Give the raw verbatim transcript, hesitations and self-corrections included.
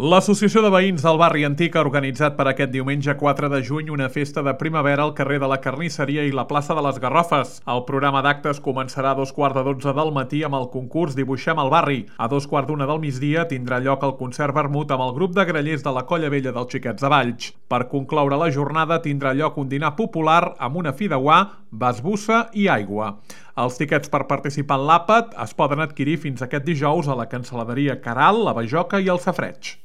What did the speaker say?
L'Associació de Veïns del Barri Antic ha organitzat per aquest diumenge quatre de juny una festa de primavera al carrer de la Carnisseria i la plaça de les Garrofes. El programa d'actes començarà a dos quarts de dotze del matí amb el concurs Dibuixem el Barri. A dos quarts d'una del migdia tindrà lloc el concert vermut amb el grup de grallers de la Colla Vella dels Xiquets de Valls. Per concloure la jornada tindrà lloc un dinar popular amb una fideuà, basbussa i aigua. Els tiquets per participar en l'àpat es poden adquirir fins aquest dijous a la cancel·laderia Caral, la Bajoca i el Safareig.